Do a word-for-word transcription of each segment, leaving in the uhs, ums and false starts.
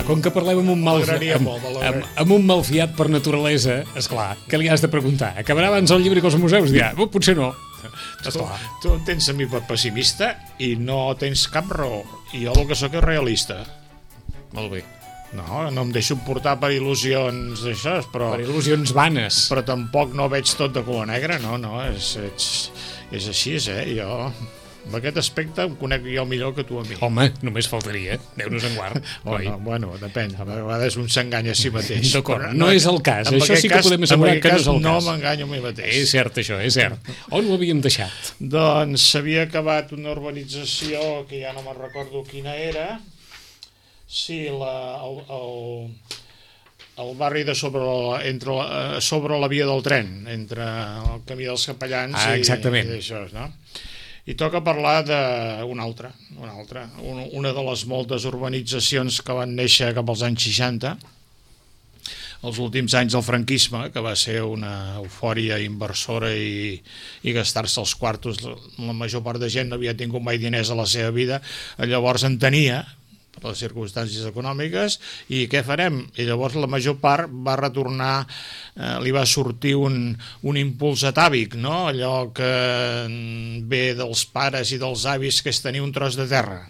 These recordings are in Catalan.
com que parlem amb un mal, M'agradaria amb, molt, amb, m'agradaria. amb un malfiat per naturalesa, esclar, què li has de preguntar? Acabarà abans el llibre que els museus? Dirà, oh, potser no. Tu, tu em tens a mi per pessimista i no tens cap raó. I jo el que sóc és realista. Molt bé. No, no em deixo portar per il·lusions d'això, però... Per il·lusions vanes. Però tampoc no veig tot de color negre, no, no, és, és, és així, eh, jo... En aquest aspecte em conec jo millor que tu a mi. Home, només faltaria, Déu-nos en guard. Oh, no, bueno, depèn, a vegades un s'enganya a si mateix. D'acord, no, no és el cas, això sí que cas, podem assegurar que no és el no cas. No m'enganyo a mi mateix. És cert això, és cert. On ho havíem deixat? Doncs s'havia acabat una urbanització que ja no me'n recordo quina era. Sí, la, el, el, el barri de sobre la, entre la, sobre la via del tren, entre el camí dels Capellans ah, i, exactament. i això, no? I toca parlar d'una altra, una altra, una de les moltes urbanitzacions que van néixer cap als anys seixanta, els últims anys del franquisme, que va ser una eufòria inversora i, i gastar-se els quartos. La major part de gent no havia tingut mai diners a la seva vida, llavors en tenia, per les circumstàncies econòmiques, i què farem? I llavors la major part va retornar, eh, li va sortir un, un impuls atàvic, no? Allò que ve dels pares i dels avis, que és tenir un tros de terra.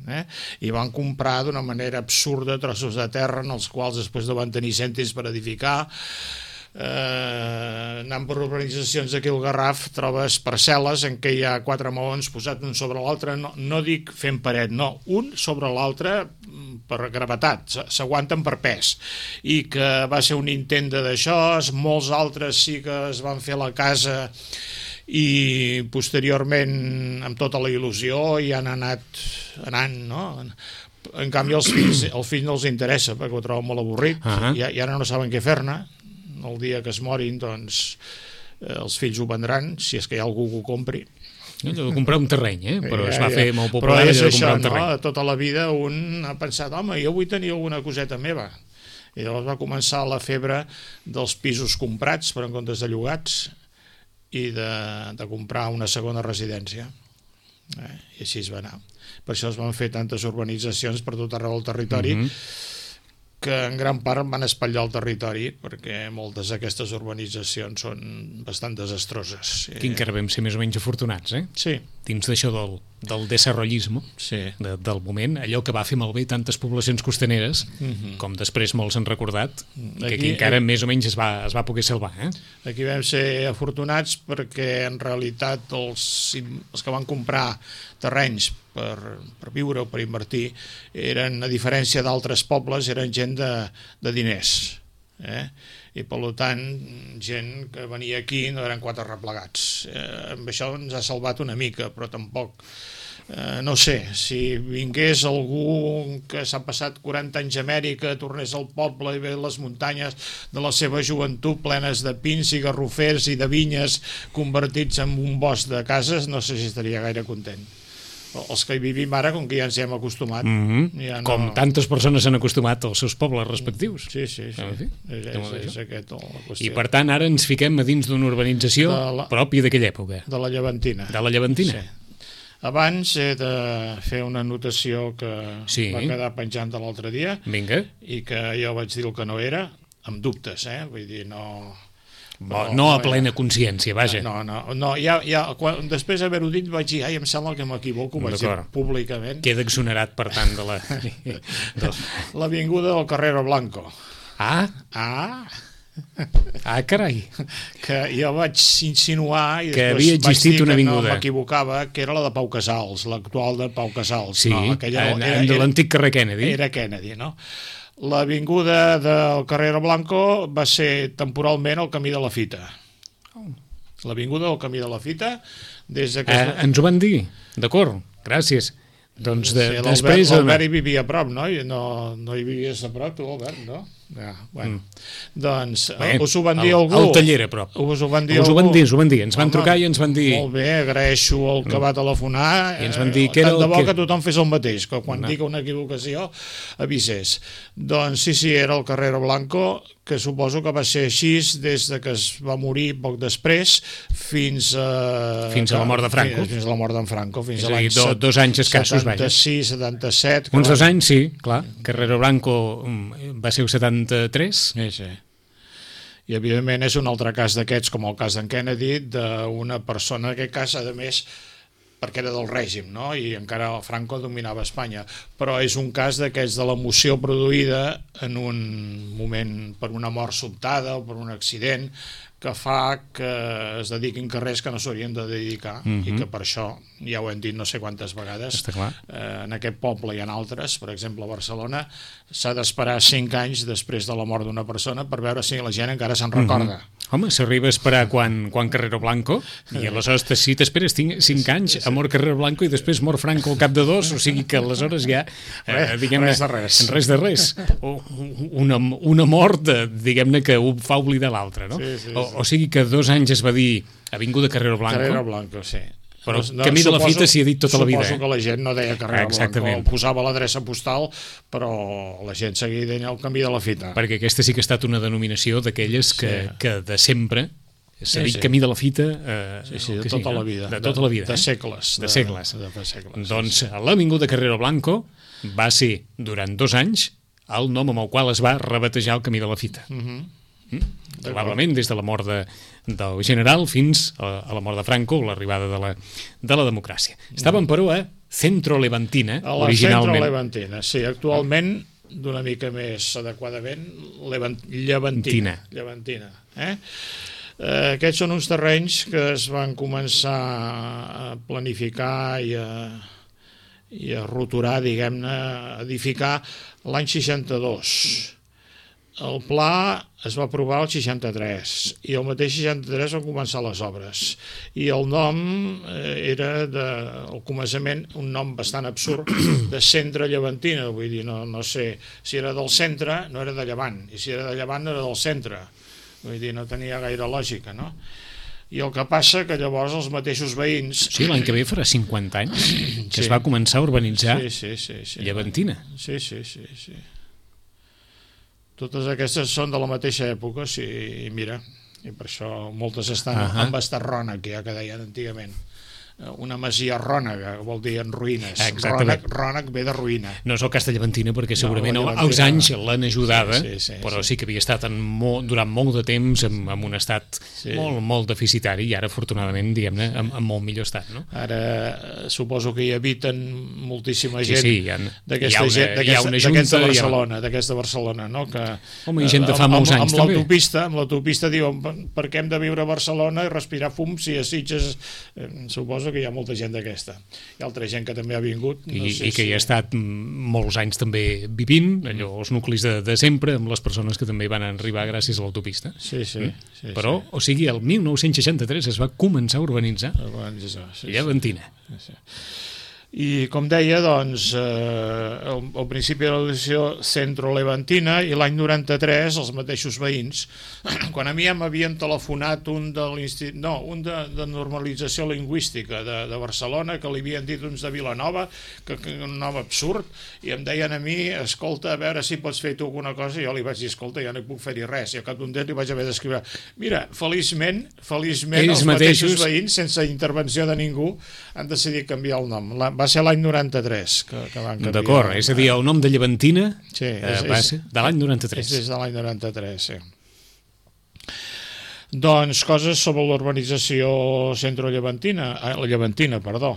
Eh? I van comprar d'una manera absurda trossos de terra en els quals després no van tenir cèntims per edificar. Eh, anant per urbanitzacions d'aquí al Garraf trobes parcel·les en què hi ha quatre maons posats un sobre l'altre, no, no dic fent paret, no, un sobre l'altre per gravetat, s'aguanten per pes, i que va ser un intent d'això, molts altres sí que es van fer la casa i posteriorment amb tota la il·lusió i han anat anant, no? En canvi els fills, el fill no els interessa perquè ho troben molt avorrit, uh-huh. i, i ara no saben què fer-ne. El dia que es morin, doncs, eh, els fills ho vendran, si és que hi ha algú que ho compri. Allò de comprar un terreny, eh? Però ja, es va ja. fer molt popular allò de això, comprar un terreny. No? Tota la vida un ha pensat, home, jo vull tenir alguna coseta meva. I llavors va començar la febre dels pisos comprats, però en comptes de llogats, i de, de comprar una segona residència. Eh? I així es va anar. Per això es van fer tantes urbanitzacions per tot arreu del territori, mm-hmm. que en gran part van espatllar el territori, perquè moltes d'aquestes urbanitzacions són bastant desastroses. Que encara vam ser més o menys afortunats, eh? Sí. Dins d'això del, del desarrollisme, sí. de, del moment, allò que va fer malbé tantes poblacions costaneres, mm-hmm. com després molts han recordat, aquí, que aquí encara aquí, més o menys es va, es va poder salvar. Eh? Aquí vam ser afortunats perquè en realitat els, els que van comprar terrenys per, per viure o per invertir eren, a diferència d'altres pobles, eren gent de, de diners. Eh? I per tant, gent que venia aquí no eren quatre replegats. Eh, amb això ens ha salvat una mica, però tampoc... Eh, no sé, si vingués algú que s'ha passat quaranta anys a Amèrica, tornés al poble i ve les muntanyes de la seva joventut plenes de pins i garrofers i de vinyes convertits en un bosc de cases, no sé si estaria gaire content. Els que hi vivim ara, com que ja ens hi hem acostumat. Mm-hmm. Ja no... Com tantes persones s'han acostumat als seus pobles respectius. Sí, sí, sí. En fi, és, és, és aquest la qüestió. I per tant ara ens fiquem a dins d'una urbanització la... pròpia d'aquella època. De la Llevantina. De la Llevantina. Sí. Abans he de fer una anotació que sí. va quedar penjant de l'altre dia. Vinga. I que jo vaig dir el que no era, amb dubtes, eh? Vull dir, no... No, no a plena consciència, vaja. No, no, no ja, ja, quan, després d'haver-ho dit vaig dir, ai, em sembla que m'equivoco, vaig dir públicament. Queda exonerat, per tant, de la... de... L'avinguda del Carrero Blanco. Ah? Ah? Ah, carai. Que jo vaig insinuar i que havia existit una avinguda. No m'equivocava, que era la de Pau Casals, l'actual de Pau Casals. Sí, no, aquella, en, era, de l'antic carrer Kennedy. Era Kennedy, no? L'avinguda del Carrero Blanco va ser temporalment el camí de la Fita. L'avinguda del camí de la Fita, des de que... Eh, ens ho van dir, d'acord, gràcies. Doncs de, sí, després... L'Albert hi vivia a prop, no? No, no hi vivies a prop, tu, Albert, no? Ja, bueno. Mm. Doncs Bé, us ho van dir al, algú? Al taller, a prop. Us ho van dir us algú? Ho van dir, us ho van dir. Ens van Home, trucar i ens van dir... Molt bé, agraeixo el que va telefonar. I ens van dir que era tant de bo que... que tothom fes el mateix, que quan no. diga una equivocació avisés. Doncs sí, sí, era el Carrero Blanco, que suposo que va ser així des de que es va morir poc després fins a... Fins a la mort de Franco. Fins, fins a la mort d'en Franco, fins és a l'any do, dos anys escassos, setanta-sis, setanta-set... Uns dos anys, sí, clar. Carrero Blanco va ser el setanta-tres. Sí, sí. I evidentment és un altre cas d'aquests, com el cas d'en Kennedy, d'una persona, en aquest cas, a més, perquè era del règim, no? I encara Franco dominava Espanya, però és un cas d'aquests de l'emoció produïda en un moment per una mort sobtada o per un accident que fa que es dediquin carrers que no s'haurien de dedicar, mm-hmm. i que per això, ja ho hem dit no sé quantes vegades, eh, en aquest poble i en altres, per exemple a Barcelona, s'ha d'esperar cinc anys després de la mort d'una persona per veure si la gent encara se'n recorda. Mm-hmm. Home, s'arriba a esperar quan, quan Carrero Blanco, i aleshores si t'esperes cinc anys, a mort Carrero Blanco i després mort Franco al cap de dos, o sigui que aleshores ja, eh, diguem-ne, res de res. res de res. O, una, una mort, diguem-ne, que ho fa oblidar l'altre, no? Sí, sí, sí. O, o sigui que dos anys es va dir Avinguda Carrero Blanco. Carrero Blanco, sí. Però no, camí de la fita s'hi ha dit tota la vida. Suposo que la gent no deia Carrero Blanco, posava l'adreça postal, però la gent seguia dient el camí de la fita. Perquè aquesta sí que ha estat una denominació d'aquelles que, sí. que de sempre s'ha sí, dit sí. camí de la fita... Eh, sí, sí, de tota sí, la vida. De tota la vida. De, eh? de segles. De, de segles. De, de segles. Doncs sí, sí. l'Avinguda Carrero Blanco va ser, durant dos anys, el nom amb el qual es va rebatejar el camí de la fita. Uh-huh. Mm? Probablement des de la mort de, del general fins a, a la mort de Franco, l'arribada de, la, de la democràcia. Estàvem, però, a Centro Levantina, a la originalment. Centro Levantina, sí, actualment d'una mica més adequadament Levant, Llevantina. Llevantina. Eh? Eh, aquests són uns terrenys que es van començar a planificar i a, i a roturar, diguem-ne, a edificar l'any seixanta-dos. El pla es va aprovar el seixanta-tres i el mateix seixanta-tres van començar les obres i el nom era de, al començament un nom bastant absurd de Centre Llevantina, vull dir, no, no sé si era del centre, no era de Llevant, i si era de Llevant no era del centre, vull dir, no tenia gaire lògica, no? I el que passa que llavors els mateixos veïns... Sí, l'any que ve farà cinquanta anys que sí. es va començar a urbanitzar sí, sí, sí, sí. Llevantina. Sí, sí, sí, sí. Totes aquestes són de la mateixa època, sí, i mira, i per això moltes estan uh -huh. amb estat rònec, ja que deien antigament. Una masia rònega, vol dir en ruïnes. Rònec, rònec ve de ruïna. No és el cas de Llevantina, perquè segurament no, els anys l'han ajudada, sí, sí, sí, però sí. sí que havia estat en molt, durant molt de temps en, en un estat sí. molt, molt deficitari i ara, afortunadament, diguem-ne, en, en molt millor estat. No? Ara suposo que hi habiten moltíssima gent sí, sí, d'aquesta gent, d'aquesta Barcelona, d'aquesta Barcelona, no? Que, home, hi gent de fa molts amb, anys, amb també. L'autopista, amb l'autopista diuen per què hem de viure a Barcelona i respirar fum si a Sitges, eh, suposo que hi ha molta gent d'aquesta. Hi ha altra gent que també ha vingut. No I, sé i que si... hi ha estat molts anys també vivint, allò, els nuclis de, de sempre, amb les persones que també van arribar gràcies a l'autopista. Sí, sí. Mm? sí Però, sí. o sigui, el mil nou-cents seixanta-tres es va començar a urbanitzar sí, Llevantina. Sí, sí. I com deia, doncs, eh, al, al principi de l'edició Centro Levantina i l'any noranta-tres els mateixos veïns, quan a mi ja m'havien telefonat un de l'institut, no, un de, de normalització lingüística de, de Barcelona, que li havien dit uns de Vilanova, que, que un nom absurd, i em deien a mi, escolta, a veure si pots fer tu alguna cosa, i jo li vaig dir, escolta, ja no hi puc fer-hi res, i al cap d'un temps li vaig haver d'escriure, mira, feliçment, feliçment Ells els mateixos, mateixos veïns, sense intervenció de ningú, han decidit canviar el nom. La, va ser l'any noranta-tres que, que van canviar. D'acord, és a dir, el nom de Llevantina sí, és, eh, va és, ser de l'any noranta-tres. És des de l'any noranta-tres, sí. Doncs coses sobre l'urbanització Centro Llevantina, eh, la Llevantina, perdó.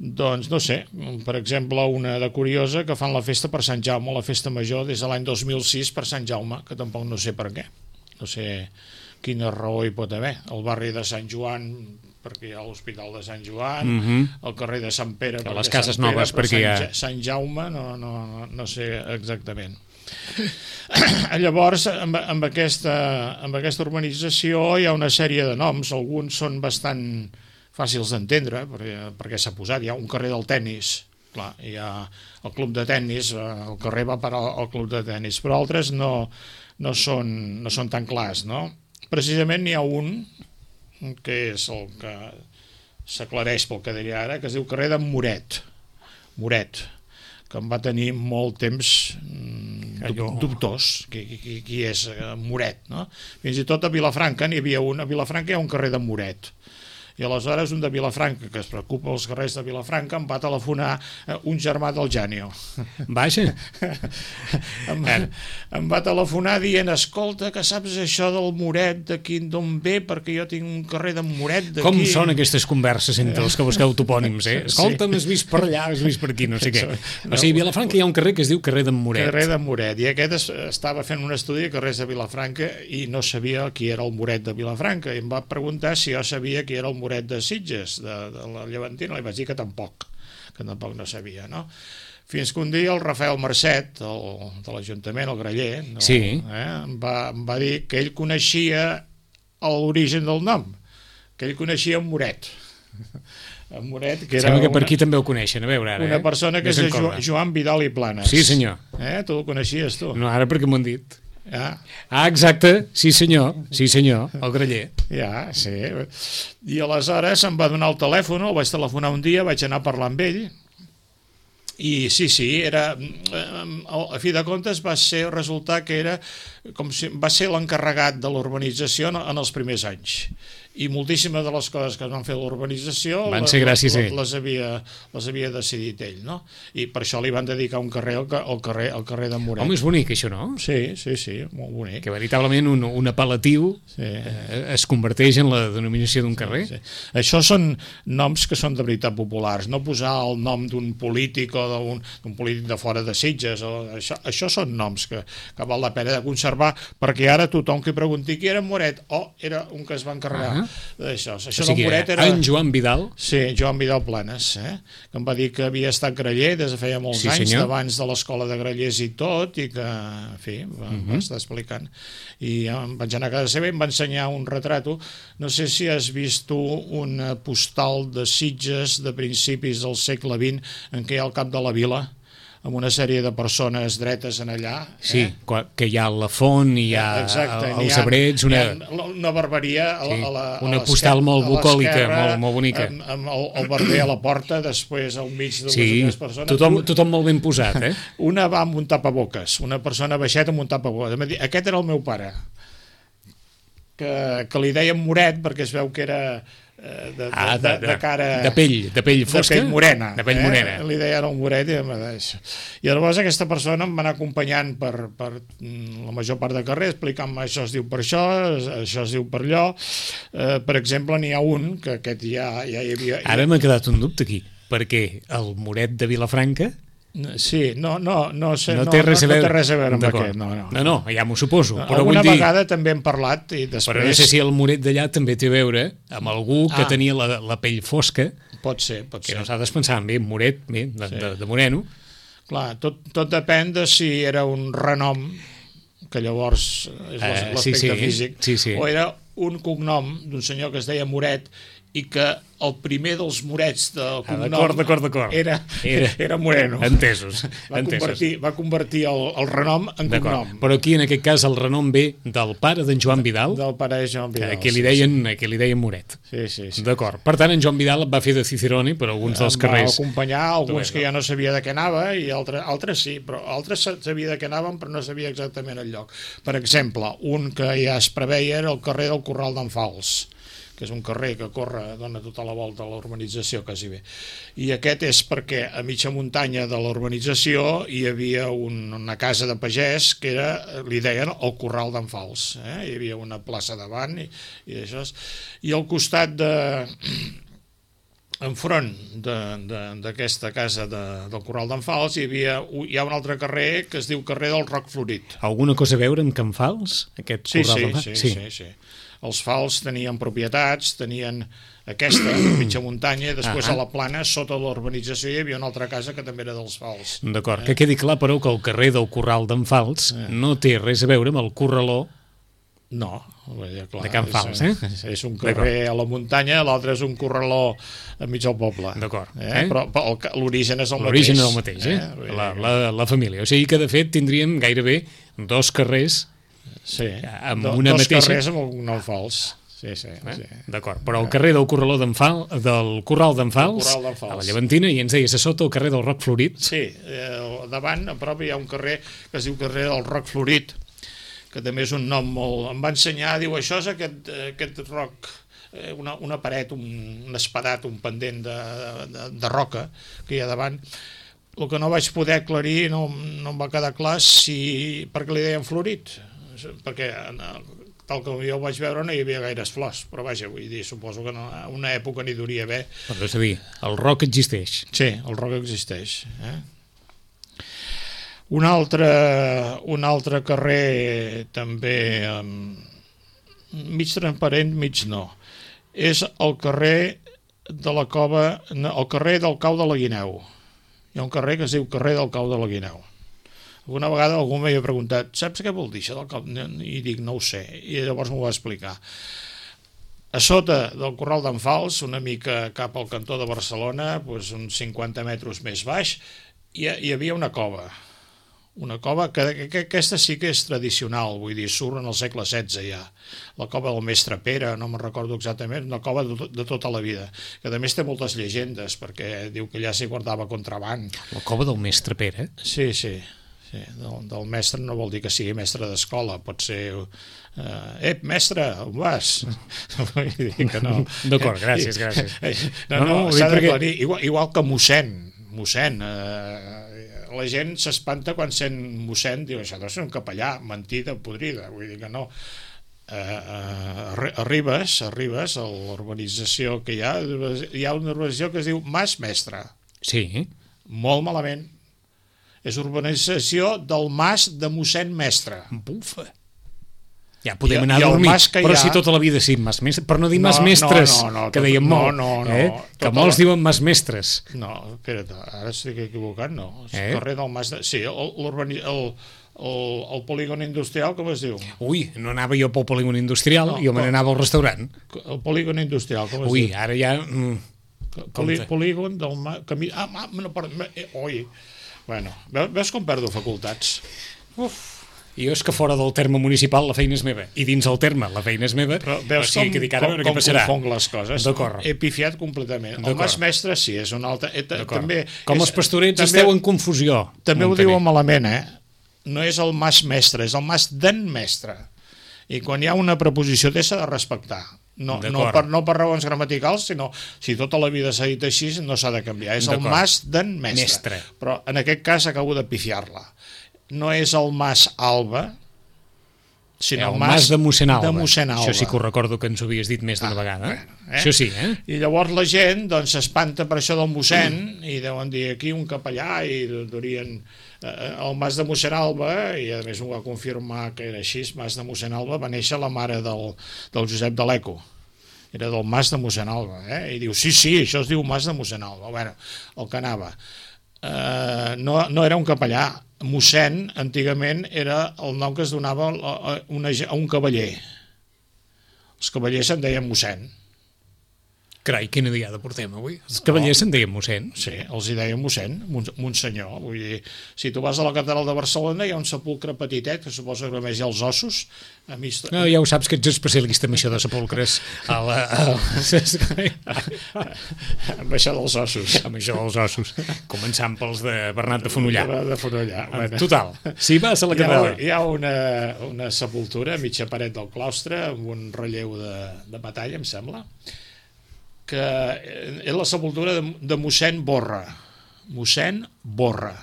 Doncs no sé, per exemple, una de curiosa que fan la festa per Sant Jaume, la festa major des de l'any dos mil sis per Sant Jaume, que tampoc no sé per què. No sé quina raó hi pot haver. El barri de Sant Joan, perquè hi ha l'Hospital de Sant Joan, uh -huh. el carrer de Sant Pere, que les cases Pere, noves, perquè Sant, hi ha... Sant Jaume, no, no, no sé exactament. Llavors, amb, amb, aquesta, amb aquesta urbanització hi ha una sèrie de noms, alguns són bastant fàcils d'entendre, perquè, perquè s'ha posat, hi ha un carrer del tennis, clar, hi ha el club de tennis, el carrer va parar al club de tennis, però altres no, no, són, no són tan clars, no? Precisament n'hi ha un, que és el que s'aclareix pel que diria ara, que es diu carrer d'en Moret, Moret, que em va tenir molt temps dub dubtós, qui, qui, qui és Moret, no? Fins i tot a Vilafranca n'hi havia un, a Vilafranca hi ha un carrer d'en Moret, i aleshores un de Vilafranca, que es preocupa dels carrers de Vilafranca, em va telefonar un germà del Janio. Vaja. em, va, em va telefonar dient, escolta, que saps això del Moret, d'aquí d'on ve, perquè jo tinc un carrer d'en Moret d'aquí. Com són aquestes converses entre els que busqueu topònims, eh? Escolta, m'has vist per allà, has vist per aquí, no sé què. O sigui, a Vilafranca hi ha un carrer que es diu carrer d'en Moret. Carrer d'en Moret, i aquest es, estava fent un estudi de carrers de Vilafranca i no sabia qui era el Moret de Vilafranca, i em va preguntar si jo sabia qui era el Moret de Sitges, de, de la Llevantina. Li vaig dir que tampoc, que tampoc no sabia, no? Fins que un dia el Rafael Marcet, el, de l'Ajuntament, el Graller, no? Sí. eh? em, va, em va dir que ell coneixia l'origen del nom, que ell coneixia en Moret. En Moret, que era Sembla que per una, aquí també ho coneixen, a veure ara. Una eh? persona que és jo, Joan Vidal i Planes. Sí, senyor. Eh? Tu el coneixies, tu? No, ara perquè m'ho han dit. Ja. Ah, exacte, sí senyor, sí senyor, el Graller. Ja, sí. I aleshores em va donar el telèfon, el vaig telefonar un dia, vaig anar a parlar amb ell, i sí, sí, era, a fi de comptes va ser resultar que era com si va ser l'encarregat de l'urbanització en els primers anys, i moltíssimes de les coses que es van fer a l'urbanització van ser gràcies a ell. Les havia, les havia decidit ell, no? I per això li van dedicar un carrer al, al carrer, al carrer de Moret. Home, és bonic això, no? Sí, sí, sí, molt bonic. Que veritablement un, un apel·latiu sí. eh, es converteix en la denominació d'un carrer. Sí, sí. Això són noms que són de veritat populars, no posar el nom d'un polític o d'un polític de fora de Sitges, o això, això són noms que, que val la pena de conservar, perquè ara tothom que pregunti qui era Moret, o oh, era un que es va encarregar uh -huh. d'això. Això o sigui, del Moret era... en Joan Vidal? Sí, Joan Vidal Planes, eh? Que em va dir que havia estat graller des de feia molts sí, anys, d'abans de l'escola de grallers i tot, i que, en fi, va, uh -huh. va estar explicant. I ja em vaig anar a casa seva i em va ensenyar un retrato. No sé si has vist tu una postal de Sitges de principis del segle vint en què hi ha el cap de la vila, amb una sèrie de persones dretes en allà. Sí, eh? que hi ha la font, i hi ha Exacte, els ha, abrets, una... una barberia a la, sí, a la, una postal molt bucòlica, molt, molt bonica. Amb, amb el, el barber a la porta, després al mig de sí, les persones. Tothom, tothom molt ben posat, eh? Una va amb un tapaboques, una persona baixeta amb un tapaboques. Aquest era el meu pare, que, que li deien Moret perquè es veu que era... De, de, ah, de, de, de cara... De pell, de pell fosca? De pell morena. De pell morena. Eh? Li deien el Moret i em va dir. I llavors aquesta persona em va anar acompanyant per, per la major part del carrer, explicant-me això es diu per això, això es diu per allò. Eh, per exemple, n'hi ha un, que aquest ja, ja hi havia... Ara m'ha quedat un dubte aquí, perquè el Moret de Vilafranca... Sí, no, no, no, sé, no, té, res no, no té res a veure amb aquest. No, no, no, no ja m'ho suposo. No, però alguna vull dir... vegada també hem parlat i després... Però no sé si el Moret d'allà també té a veure amb algú que ah. tenia la, la pell fosca. Pot ser, pot que ser. Que nosaltres pensàvem, bé, Moret, bé, de, sí. de, de moreno. Clar, tot, tot depèn de si era un renom, que llavors és l'aspecte uh, sí, sí, físic, sí, sí. o era un cognom d'un senyor que es deia Moret i que el primer dels Morets del cognom ah, d'acord, d'acord. Era, era, era Moreno. Entesos. Va entesos. convertir, va convertir el, el renom en cognom. Però aquí, en aquest cas, el renom ve del pare d'en Joan Vidal. Del pare de Joan Vidal. Que li deien, sí, sí. Que li deien Moret. Sí, sí, sí. D'acord. Per tant, en Joan Vidal va fer de Cicerone per alguns dels carrers. Va acompanyar alguns que ja no sabia de què anava i altres, altres sí, però altres sabia de què anaven però no sabia exactament el lloc. Per exemple, un que ja es preveia era el carrer del Corral d'en Fals, que és un carrer que corre, dona tota la volta a la urbanització quasi bé. I aquest és perquè a mitja muntanya de la urbanització hi havia un, una casa de pagès que era, li deien el Corral d'en Fals. Eh? Hi havia una plaça davant i, i això. I al costat de... enfront d'aquesta casa de, del Corral d'en Fals hi havia hi ha un altre carrer que es diu carrer del Roc Florit. Alguna cosa a veure amb Can Fals? Aquest sí, Corral sí, d'en Fals? sí, sí, sí, sí. Els Fals tenien propietats, tenien aquesta, mitja muntanya, i després ah, a la plana, sota l'urbanització, hi havia una altra casa que també era dels Fals. D'acord, eh? Que quedi clar, però, que el carrer del Corral d'en Fals eh. no té res a veure amb el Corraló. No, Clar, de Can Fals, eh? És, és un carrer a la muntanya, l'altre és un corraló enmig del poble. D'acord. Eh? Eh? Però, però l'origen és el mateix. L'origen és el mateix, eh? eh? La, la, la família. O sigui que, de fet, tindríem gairebé dos carrers sí. amb Do, una dos mateixa... Dos carrers amb un nom fals. Sí, sí, eh? sí. D'acord, però el carrer del Corraló d'en Fal, del Corral d'en Fals, Fals, a la Llevantina, i ens deies a sota el carrer del Roc Florit. Sí, eh, davant, a prop, hi ha un carrer que es diu carrer del Roc Florit, que també és un nom molt... Em va ensenyar, diu, això és aquest, aquest roc, una, una paret, un, un espadat, un pendent de, de, de roca que hi ha davant. El que no vaig poder aclarir, no, no em va quedar clar si... per què li deien florit, perquè tal com jo ho vaig veure no hi havia gaires flors, però vaja, vull dir, suposo que no, una època n'hi duria haver. Però és a dir, el roc existeix. Sí, el roc existeix, eh? Un altre, un altre carrer també um, mig transparent, mig no. És el carrer de la Cova, el carrer del Cau de la Guineu. Hi ha un carrer que es diu carrer del Cau de la Guineu. Alguna vegada algú m'havia preguntat, saps què vol dir això del Cau? I dic, no ho sé. I llavors m'ho va explicar. A sota del Corral d'en Fals, una mica cap al cantó de Barcelona, doncs uns cinquanta metres més baix, hi, hi havia una cova. Una cova que, que aquesta sí que és tradicional, vull dir, surt en el segle setze ja. La cova del Mestre Pere, no me'n recordo exactament, una cova de, de tota la vida, que a més té moltes llegendes, perquè diu que allà s'hi guardava contraban. La cova del Mestre Pere? Sí, sí, sí. Del, del mestre no vol dir que sigui mestre d'escola, pot ser... Eh, ep, mestre, on vas? Vull dir que no. D'acord, gràcies, gràcies. No, no, no s'ha d'aclarir, igual, igual que mossèn, mossèn, eh, la gent s'espanta quan sent mossèn, diu, això deu ser un capellà, mentida, podrida, vull dir que no. Eh, eh, a Ribes, a Ribes, a l'urbanització que hi ha, hi ha una urbanització que es diu Mas Mestre. Sí. Molt malament. És urbanització del Mas de mossèn Mestre. Bufa. Ja podem I, anar i a dormir, però ha... si tota la vida sí, mas mestres, per no dir no, mas mestres, no, no, no, que dèiem no, molt, no, no, eh? no, que molts la... diuen mas mestres. No, espera't, ara estic equivocat, no. És eh? carrer del Mas... De... Sí, el, el, el, el polígon industrial, com es diu? Ui, no anava jo pel polígon industrial, no, jo me n'anava al restaurant. El polígon industrial, com es Ui, diu? Ui, ara ja... Mm, Poli, polígon del... Ma... Camí... Ah, no, perdó, eh, oi. Bueno, veus com perdo facultats? Uf. I jo és que fora del terme municipal la feina és meva, i dins el terme la feina és meva, però veus o sigui, com, que dic ara, com, com confong les coses. He pifiat completament. El Mas Mestre sí, és un altre... Eh, també com és, els pastorets també, esteu en confusió. També ho diuen malament, eh? No és el Mas Mestre, és el Mas d'en Mestre. I quan hi ha una preposició té s'ha de respectar. No, no, per, no per raons gramaticals, sinó si tota la vida s'ha dit així no s'ha de canviar. És el Mas d'en Mestre. Mestre. Però en aquest cas acabo de pifiar-la. No és el Mas Alba, sinó el, el mas, mas de mossèn Alba. de mossèn Alba. Això sí que ho recordo que ens ho havies dit més d'una ah, vegada. Bueno, eh? Això sí, eh? I llavors la gent doncs s'espanta per això del mossèn mm. i deuen dir aquí un capellà i durien eh, el mas de mossèn Alba, i a més ho va confirmar que era així, mas de mossèn Alba va néixer la mare del, del Josep de l'Eco. Era del mas de mossèn Alba, eh? I diu, sí, sí, això es diu mas de mossèn Alba. Bueno, el que anava. Eh, no, no era un capellà. Mossèn, antigament, era el nom que es donava a, una, a un cavaller. Els cavallers se'n deien mossèn. Carai, quina diada portem avui. Els cavallers oh. se'n deien mossèn. Sí, els hi deien mossèn, monsenyor. Vull dir, si tu vas a la catedral de Barcelona hi ha un sepulcre petitet, que suposa que només hi ha els ossos. A mi... No, ja ho saps que ets especialista en això de sepulcres. A la, a... amb això dels ossos. Amb això dels ossos. Començant pels de Bernat de Fonollà. De, de Fonollà. Bueno. Total, si vas a la catedral... Hi ha, hi ha una, una sepultura a mitja paret del claustre amb un relleu de, de batalla, em sembla, que és la sepultura de, de mossèn Borra. Mossèn Borra.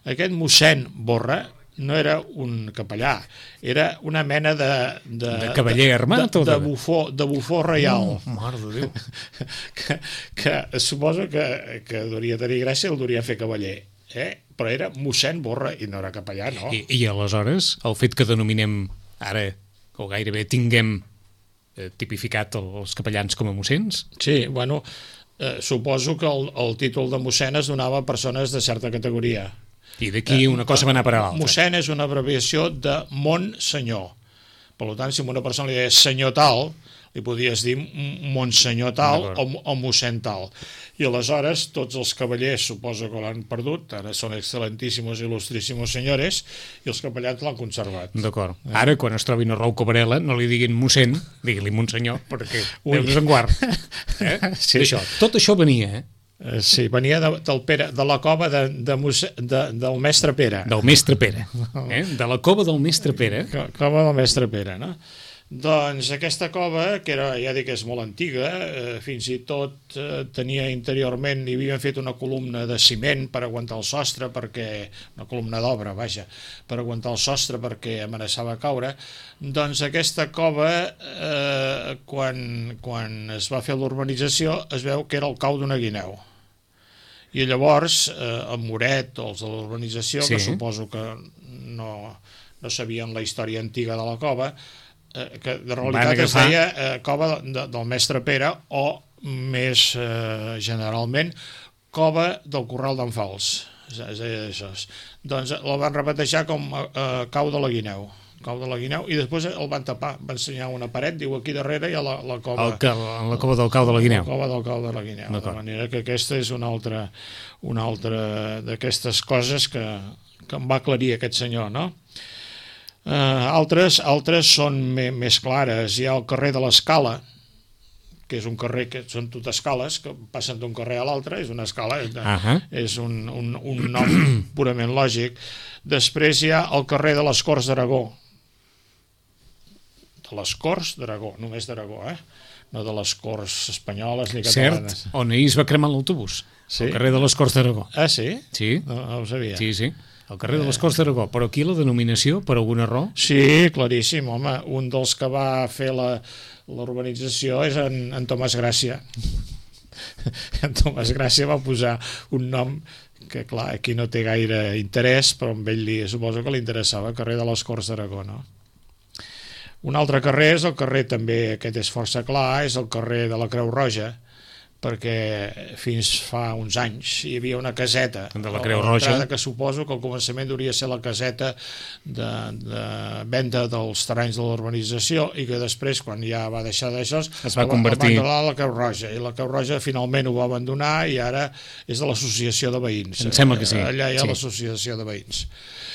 Aquest mossèn Borra no era un capellà, era una mena de... De, de cavaller armat de, o de, de, bufó, de bufó reial. Oh, mare de Déu. que, que suposo que, que duria tenir gràcia, el duria fer cavaller. Eh? Però era mossèn Borra i no era capellà, no? I, i aleshores, el fet que denominem ara, o gairebé tinguem tipificat els capellans com a mossens? Sí, bueno, eh, suposo que el, el títol de mossèn es donava a persones de certa categoria. I d'aquí una cosa va anar per a l'altra. Mossèn és una abreviació de Montsenyor. Per tant, si a una persona li deies senyor tal, li podies dir monsenyor tal o, o mossèn tal. I aleshores tots els cavallers suposo que l'han perdut, ara són excelentíssimos i il·lustríssimos senyores, i els capellans l'han conservat. D'acord. Eh? Ara, quan es trobin a Rou Cabrela, no li diguin mossèn, digui-li monsenyor, perquè Déu-nos en guard. Eh? Sí. Això, tot això venia, eh? Uh, sí, venia de, del Pere, de la cova de, de, de, del mestre Pere. Del mestre Pere. Eh? De la cova del mestre Pere. Cova del mestre Pere, no? Doncs aquesta cova, que era, ja dic que és molt antiga, eh, fins i tot eh, tenia interiorment, hi havien fet una columna de ciment per aguantar el sostre, perquè una columna d'obra, vaja, per aguantar el sostre perquè amenaçava caure. Doncs aquesta cova, eh, quan, quan es va fer l'urbanització, es veu que era el cau d'una guineu. I llavors, eh, el Moret, o els de l'urbanització, sí, que suposo que no, no sabien la història antiga de la cova, que de realitat es deia eh, cova de, del mestre Pere o més eh, generalment cova del Corral d'en Fals, es deia això. Doncs el van repetejar com eh, cau de la guineu, cau de la guineu, i després el van tapar, van ensenyar una paret, diu aquí darrere hi ha la, la cova el, la cova del cau de la guineu, la cova del cau de la guineu, de manera que aquesta és una altra una altra d'aquestes coses que, que em va aclarir aquest senyor, no? Uh, altres, altres són me, més clares. Hi ha el carrer de l'Escala, que és un carrer que són tot escales, que passen d'un carrer a l'altre, és una escala, és, uh -huh. és un, un, un nom purament lògic. Després hi ha el carrer de les Corts d'Aragó. De les Corts d'Aragó, només d'Aragó, eh? No de les Corts espanyoles ni catalanes. Cert, on ahir es va cremar l'autobús, sí? El carrer de les Corts d'Aragó. Ah, sí? Sí. No, no ho sabia. Sí, sí. El carrer de les Corts d'Aragó, però aquí la denominació, per alguna raó? Sí, claríssim, home. Un dels que va fer la, l'urbanització és en, en Tomàs Gràcia. En Tomàs Gràcia va posar un nom que, clar, aquí no té gaire interès, però amb ell li, suposo que li interessava, carrer de les Corts d'Aragó, no? Un altre carrer és el carrer, també, aquest és força clar, és el carrer de la Creu Roja, perquè fins fa uns anys hi havia una caseta de la Creu Roja, que suposo que al començament hauria de ser la caseta de, de venda dels terrenys de l'urbanització i que després, quan ja va deixar d'això, es va convertir a la Creu Roja, i la Creu Roja finalment ho va abandonar i ara és de l'associació de veïns. Em sembla que sí. Allà hi ha sí. l'associació de veïns.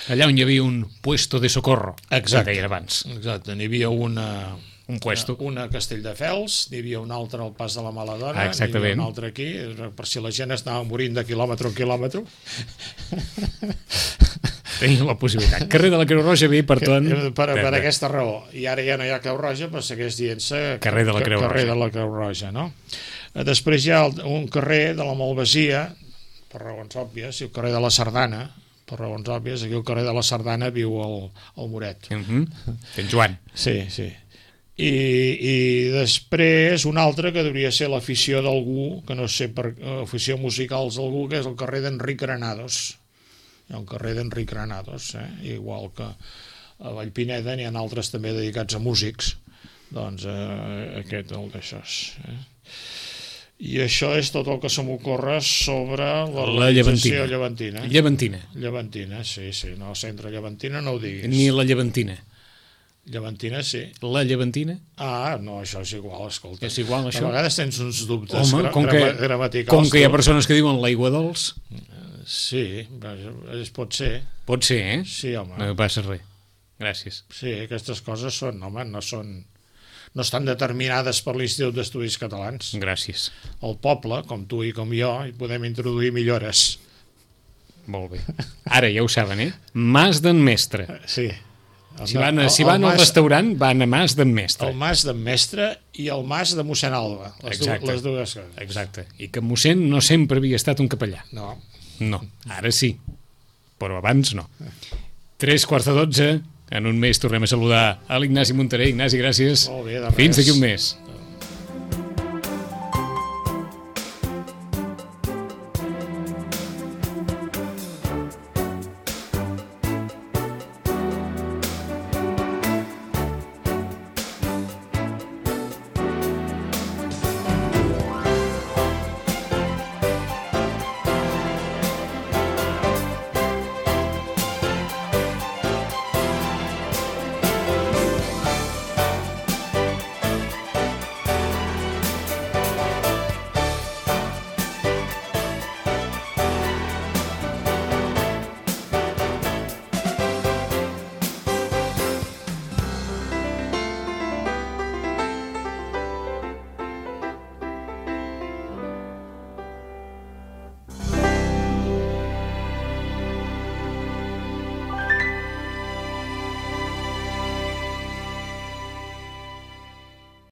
Allà on hi havia un puesto de socorro, exacte, que deia abans. Exacte, n'hi havia una... un puesto. Una a Castelldefels, n'hi havia un altre al Pas de la Maladona, ah, n'hi havia un altre aquí, per si la gent estava morint de quilòmetre en quilòmetre. Tenia la possibilitat. Carrer de la Creu Roja, bé, per tot... Per, per, per aquesta raó. I ara ja no hi ha Creu Roja, però segueix dient-se carrer de la Creu carrer Roja. de la Creu Roja, no? Després hi ha un carrer de la Malvasia, per raons òbvies, i el carrer de la Sardana, per raons òbvies, aquí el carrer de la Sardana viu el, el Moret. Uh -huh. En Joan. Sí, sí. I, i després un altre que hauria ser l'afició d'algú, que no sé, per afició musicals d'algú, que és el carrer d'Enric Granados. Hi ha un carrer d'Enric Granados, eh? Igual que a Vallpineda n'hi ha altres també dedicats a músics, doncs eh, aquest el d'això. Eh? I això és tot el que se m'ocorre sobre la, la llevantina. llevantina. Llevantina. Llevantina, sí, sí. No, centre llevantina no ho diguis. Ni la llevantina. Llevantina, sí. La llevantina? Ah, no, això és igual, escolta. És igual, això? A vegades tens uns dubtes Home, com que, gramaticals. Com que hi ha persones que diuen l'aigua dolç. Sí, pot ser. Pot ser, eh? Sí, home. No passa res. Gràcies. Sí, aquestes coses són, home, no són... no estan determinades per l'Institut d'Estudis Catalans. Gràcies. El poble, com tu i com jo, hi podem introduir millores. Molt bé. Ara ja ho saben, eh? Mas d'en Mestre. Sí. El, si van, el, si van al mas, restaurant, van a Mas d'en Mestre. El Mas d'en Mestre i el Mas de mossèn Alba. Les, du, les dues coses. Exacte. I que mossèn no sempre havia estat un capellà. No. No, ara sí. Però abans no. Tres quarts de dotze. En un mes tornem a saludar a l'Ignasi Montaner. Ignasi, gràcies. Molt bé, de res. Fins d'aquí un mes.